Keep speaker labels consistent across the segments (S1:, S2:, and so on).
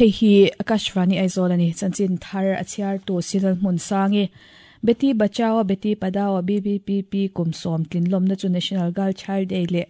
S1: Hei hi Akashvani Aizawl ani chanchin thar a chhiar tu Silal Hmun Sangi. Beti Bachao Beti Padhao BBPP kum sawm tlin lawmna chu National Girl Child Day leh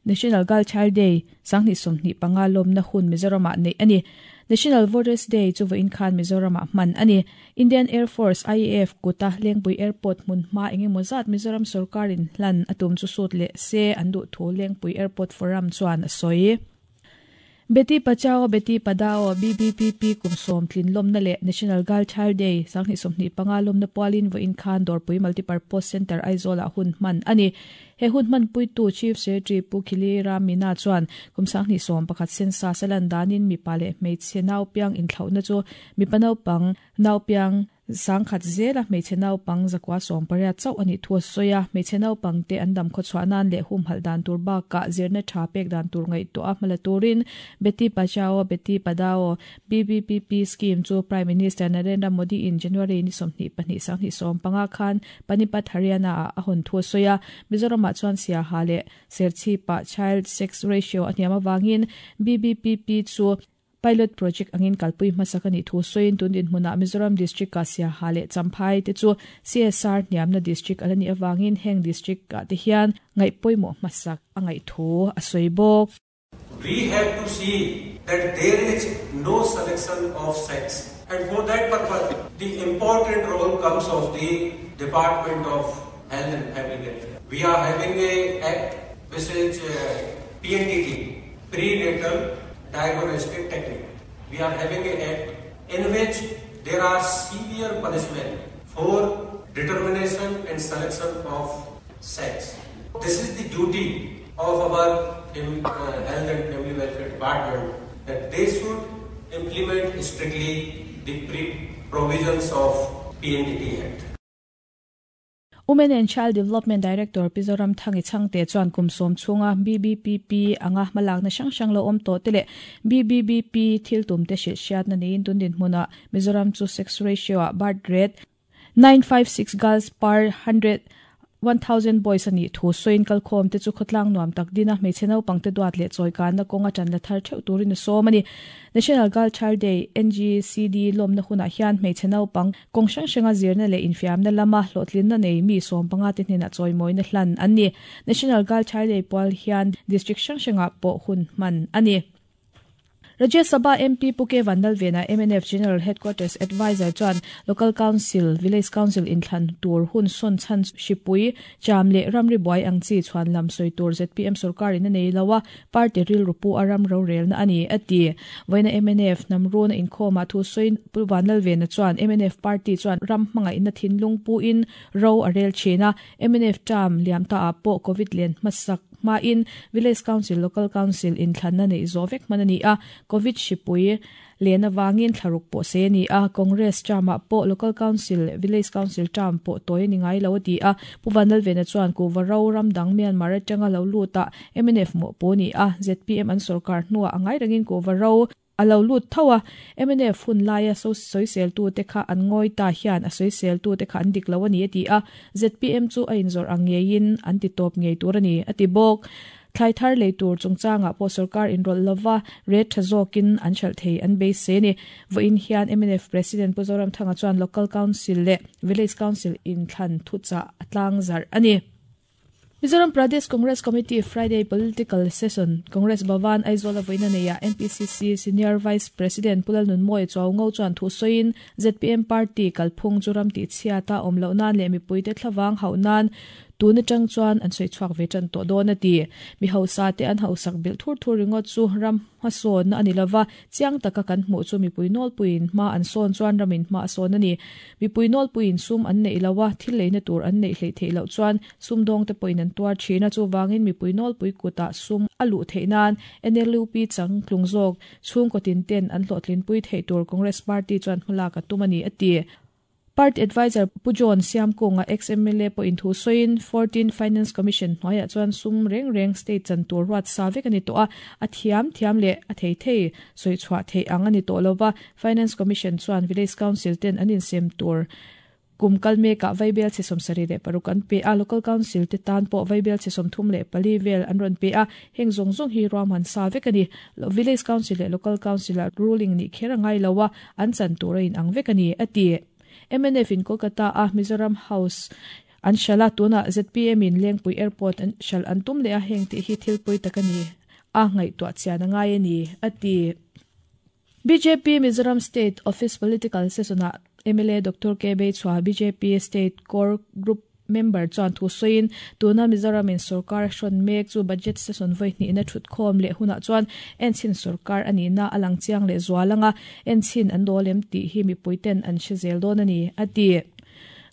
S1: National Girl Child Day 2025 lawmna hun Mizoramah neih a ni. National Voters Day chu vawiin khan Mizoramah hman a ni. Indian Air Force, IAF, kuta Lengpui Airport hmun hma engemaw zat Mizoram sorkarin hlan a tum chu sut leh se an duh thu Lengpui Airport Forum chuan a sawi. Beti Bachao Beti Padhao, BBPP, kum sawm tlin lawmna leh National Girl Child Day 2025 lawmna pualin vawiin khan Dawrpui Multipurpose Centre Aizawlah hun hman a ni. He hun hmanpuitu Chief Secretary Pu Khili Ram Meena chuan kum 2011 census a lan danin mipa leh hmeichhe naupiang inthlauhna chu mipa naupang naupiang 10,000 zela hmeichhe naupang 980 chauh a nih thu a sawi a. Hmeichhe naupangte an dam khawchhuah nan leh humhalh dan tur bakah zirna tha pek dan tur ngaihtuah a hmala turin Beti Bachao Beti Padhao, BBPP, scheme chu Prime Minister Narendra Modi in January ni 22 2015 khan Panipat, Haryana ah a hawn thu a sawi a. Mizoramah chuan Siaha leh Serchhipah child sex ratio a hniam avangin BBPP chu Pilot project angin kalpui hmasak a nih thu sawiin tun dinhmunah Mizoram District-a Siaha leh Champhai te chu CSR hniamna district a la nih avangin heng district-ah te hian ngaih pawimawh hmasak a ngaih thu a sawi bawk.
S2: We have to see that there is no selection of sex and for that purpose the important role comes of the Department of Health and Family Welfare. We are having a act which is PNDT, Prenatal Diagnostic Technique. We are having a act in which there are severe punishment for determination and selection of sex. This is the duty of our Health and Family Welfare Department that they should implement strictly the provisions of PNDT Act.
S1: Women and Child Development Director Pi Zoramthangi Chhangte chuan kum sawm chhunga BBPP anga hmalakna hrang hrang lo awm tawh te leh BBBP thil tum te hrilh hriatna neiin tun dinhmunah Mizoram chu sex ratio ah birth rate 956 girls per 100 1000 boys a nih thu sawiin kalkhawm te chu khawtlang nuam tak dina hmeichhe naupang te duat leh chawikanna kawnga tan la thar theuh turin a sawm a ni. National Girl Child Day, NGCD, lawmna hunah hian hmeichhe naupang kawng hrang hranga zirna leh infiamna lama hlawhtlinna nei mi 15 te hnenah chawimawina hlan an ni. National Girl Child Day pual hian district hrang hrangah pawh hun hman a ni. Rajya Sabha MP Pu K Vanlalvena, mnf General Headquarters Adviser chuan Local Council, Village Council inthlan tur hun sawn chhan hripui, cham leh ramri buai ang chi chhuan lam sawi tur zpm sorkarin a nei lo a, party rilru pu a ram rorelna a ni, a ti. Vawiina mnf hnam runa inkhawmah thu sawiin Pu Vanlalvena chuan mnf party chuan ram hmangaihna thinlung puin ro a rel thin a, mnf term liam ta ah pawh Covid len hmasak hmain Village Council, Local Council inthlanna neih zawh vek hman a ni a, Covid hripui len avangin thlaruk pawh sei a ni a, Congress term-ah pawh Local Council leh Village Council term pawh tawi a ni ngai lo a ti a. Pu Vanlalvena chuan Kuhva ro ram dang Myanmar atanga lo lutah mnf mawhpu a ni a, zpm an sorkar hnuah a ngai rengin Kuhva ro a lo lut tho a, mnf hun laia sawiseltute kha an ngawi ta hian a sawiseltute kha an dik lo a ni a ti a, zpm chu a inzawrh ang ngeiin an ti tawp ngei tur a ni a ti bawk. Thlai thar lei tur chungchangah pawh sorkar inrawlh lova rate tha zawkin an hralh thei an beisei a ni. Vawiin hian mnf President Pu Zoramthanga chuan Local Council leh Village Council inthlan thuchah a tlangzarh a ni. Mizoram Pradesh Congress Committee Friday Political Session, Congress Bhavan, Aizawl a vawiin a nei a, MPCC Senior Vice President Pu Lalnunmawia Chuaungo chuan thu sawiin zpm party kalphung chu ram tihchhiat a awm loh nan leh mipuite thlavang hauh nan Tun atang chuan an sawi chhuak ve tan tawh dawn a ti. Mi hausa te an hausak bilh thur thur ringawt chu ram hmasawnna a ni lova, chiang taka kan hmuh chu mipui nawlpuiin hma an sawn chuan ramin hma a sawn a ni. Mipui nawlpuiin sum an neih lo a, thil leina tur an neih hleih theih loh chuan sumdawngte pawhin an tuar thin a, chuvangin mipui nawlpui kutah sum a luh theih nan NLUP changtlung zawk chhungkaw tin ten an hlawhtlinpui theih tur Congress Party chuan hmalak a tum a ni a ti. Party Adviser Pu John Siamkunga, ex-MLA pawhin thu sawiin, 14 Finance Commission hnuaiah chuan sum reng reng state chan tur ruat sa vek a ni tawh a, a thiam thiam leh a thei thei sawi chhuah theih ang a ni tawh lo va, Finance Commission chuan Village Council ten an insem tur Kum kal mekah vaibelchhe 76 an pe a, Local Council te tan pawh vaibelchhe 34 vel an rawn pe a, heng zawng zawng hi ruahman sa vek a ni. Village Council leh Local Council ah ruling nih kher a ngai lo a, an chan tur a inang vek a ni, a ti. Mnf in Kolkata a Mizoram House an hralh a, tunah zpm in Lengpui Airport an hralh an tum leh a, heng tih hi thil pawi tak a ni a, ngaihtuah chian a ngai a ni, a ti. Bjp Mizoram State Office Political Session-ah mla Doctor K Beichhua, bjp State Core Group member chuan thu sawiin, tuna Mizoramin sorkar a hrawn mek chu budget session vawi hnihna thutkhawm leh hunah chuan enchhin sorkar a nihna a lang chiang leh zual ang a, enchhin an dawl em tih hi mipuiten an hre zel dawn a ni, a ti.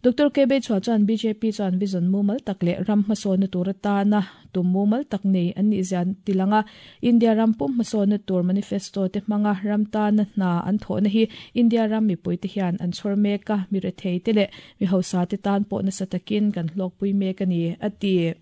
S1: Doctor K Beichhua chuan bjp chuan vision mumal tak leh ram hmasawnna tur atana tum mumal tak nei an nih zian ti lang a, India ram pum hmasawnna tur manifesto te hmanga ram tana hna an thawhna hi India ram mipuite hian an chhawr mek a, mi rethei te leh mi hausa te tan pawh nasa takin kan hlawkpui mek a ni, a ti.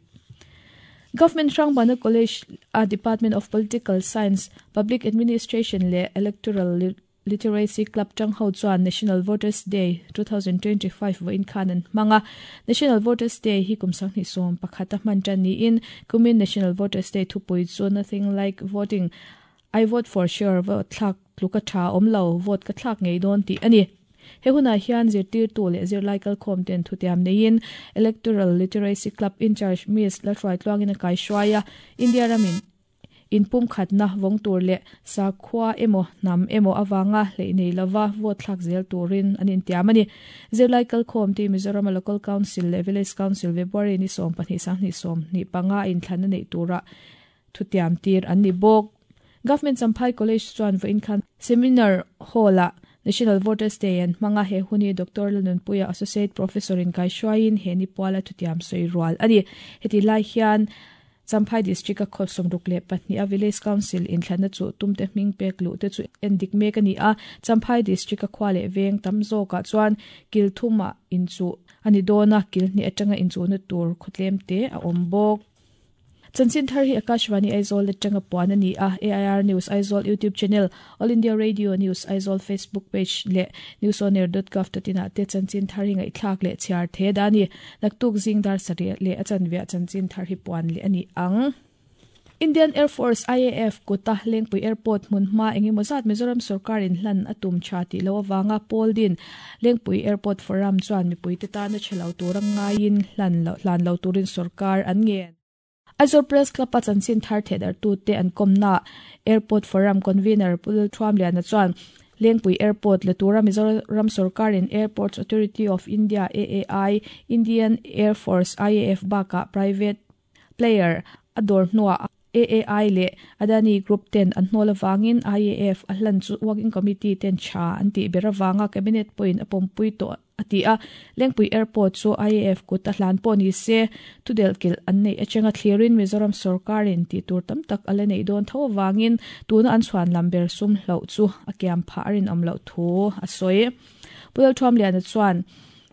S1: Government Hrangbana College a Department of Political Science, Public Administration leh Electoral Literacy Club tang ho chuan National Voters Day 2025 vawiin khan an hmang a. National Voters Day hi kum 2011 a hman tan niin kumin National Voters Day thupui chu Nothing Like Voting, I Vote For Sure, vote thlak tluk a tha awm lo, vote ka thlak ngei dawn tih a ni. He hunah hian zirtirtu leh zirlai kalkhawm ten thutiam neiin Electoral Literacy Club in-charge Miss Lalhruaitluangin a kaihruai a, India ramin Inpumkhatna vawng tur leh sakhua emaw hnam emaw avanga hleih nei lova vote thlak zel turin an intiam a ni. Zirlai kalkhawm ti Mizorama Local Council leh Village Council February ni 12 sanghnih 25 a inthlanna neih tura thutiam tir an ni bawk. Government Champhai College chuan vawiin khan Seminar Hall-ah National Voters Day an hmang a, he hun hi Doctor Lalnunpuia Associate Professor in kaihruaiin he ni puala thutiam sawi rual a ni. Heti lai hian Champhai District a khaw 62 a Village Council inthlanna chu tumte hming pek luh te chu en dik mek a ni a, Champhai District a khua leh veng tam zawkah chuan kil thumah inchuh a ni dawn a, kil hnih atanga inchuhna tur khawtlem te a awm bawk. Chanchin thar hi Akashvani Aizawl atanga puan a ni a, AIR News Aizawl YouTube channel, All India Radio News Aizawl Facebook page leh newsonair.gov.in ah te chanchin thar hi ngaihthlak leh chhiar the dah a ni. Naktuk zing dar sarih leh a chanveah chanchin thar hi puan leh a ni ang. Indian Air Force, IAF, kuta Lengpui Airport hmun hma eng emaw zat Mizoram sorkar in hlan a tum tha tih loh avanga pawl din Lengpui Airport Forum chuan mipuite tana chhe lo tura ngaiin hlan lo hlan lo turin sorkar an ngen. Aizawl Press Club a chanchin thar thehdarhtute an kawmnaah Airport Forum Convener Pu Lalthuamliana chuan Lengpui Airport la tura Mizoram sorkarin Airports Authority of India, AAI, Indian Air Force, IAF, bakah private player a dawr hnuah AAI leh Adani Group ten an hnawl avangin IAF a hlan chu Working Committee ten tha an tih ber avanga Cabinet pawhin a pawmpui tawh a ti a. Lengpui Airport chu IAF kut a hlan pawh ni se, thudelhkilh an neih atanga thlirin Mizoram sorkarin tih tur tam tak a la neih dawn tho avangin tuna an chhuan lam ber sum hloh chu a kiam phah a rinawm loh thu a sawi. Pu Lalthuamliana chuan,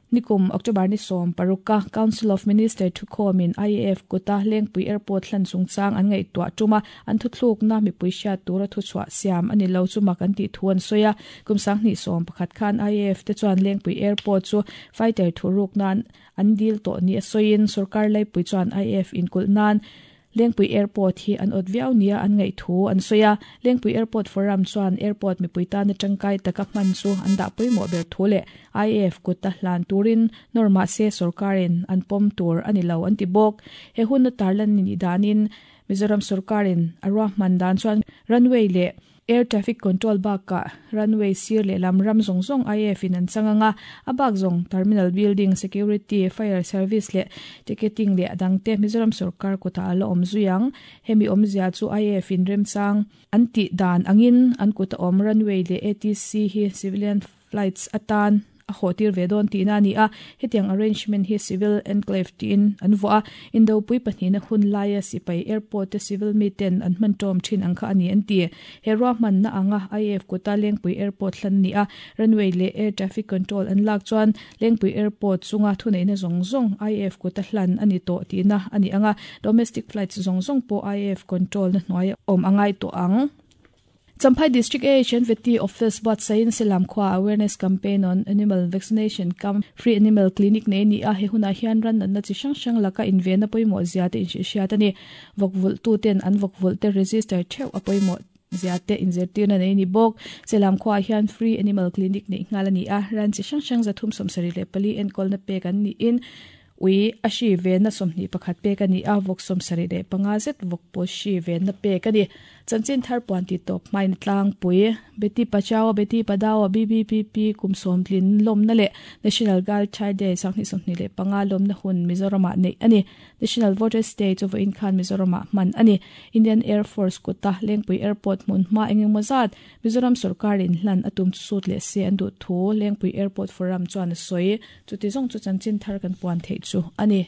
S1: Nikum October ni 16 a Council of Minister thukhawmin IAF kuta Lengpui Airport hlan chungchang an ngaihtuah tum a, an thuthlukna mipui hriat tura thuchhuah siam a ni lo chu mak an tih thu an sawi a. Kum 2011 khan IAF te chuan Lengpui Airport chu fighter thuruk nan an dil tawh ni a sawiin sorkar laipui chuan IAF inkulh nan Lengpui Airport hi an awt viau nia an ngaih thu an sawi a. Lengpui Airport Forum chuan airport mipui tana tangkai taka hman chu an dah pawimawh ber thu leh IAF kuta hlan turin nawr mahse sorkarin an pawm tur a ni lo an ti bawk. He huna tarlan ni danin Mizoram sorkarin a ruahman dan chuan runway leh Air traffic control bakah runway sir lehlam ram zawng zawng IAF in an chang ang a, a bak zawng terminal building, security, fire service leh ticketing leh a dangte Mizoram sorkar kutah a la awm zui ang. Hemi awmzia chu IAF in remchang an tih dan angin an kuta awm runway leh ATC hi civilian flights atan a haw tir ve dawn tihna a ni a, hetiang arrangement hi civil enclave tiin an vuah a, Indopui pahnihna hun laia sipai airport te civil miten an hman tawm thin ang kha a ni an ti. He ruahmanna anga IAF kuta Lengpui Airport hlan a ni a, runway leh air traffic control an lak chuan Lengpui Airport chunga thuneihna zawng zawng IAF kuta hlan a ni tawh tihna a ni ang a, domestic flights zawng zawng pawh IAF control na hnuai awm a ngai tawh ang. Champhai District AHNVT Office buatsaihin Selam khua Awareness Campaign on Animal Vaccination cum Free Animal Clinic nei a ni a, he hunah hian ran natna chi hrang hrang laka invenna pawimawh zia te inhrilhhriat a ni. Vawk vulh tu ten an vawk vulh te register theuh a pawimawh zia te inzirtirna nei a ni bawk. Selam khuaah hian Free Animal Clinic neih nghal a ni a, ran chi hrang hrang 374 enkawlna pek an niin Ui, a hri venna 21 pek a ni a, vawk 75 zet vawk pawl hri venna pek a ni. Chanchin thar puan tih tawp hmain a tlangpui. Beti Bachao, Beti Padhao, BBPP kum sawmtlin lawmna leh National Girl Child Day 2025 lawmna hun Mizoramah neih a ni. National Voters Day chu vawiin khan Mizoramah hman a ni. Indian Air Force kuta Lengpui Airport hmun hma eng engmaw zat Mizoram sorkarin hlan a tum chu sut leh se an duh thu Lengpui Airport Forum chuan a sawi. Chuti zawng chu chanchin thar kan puan theih chu a ni.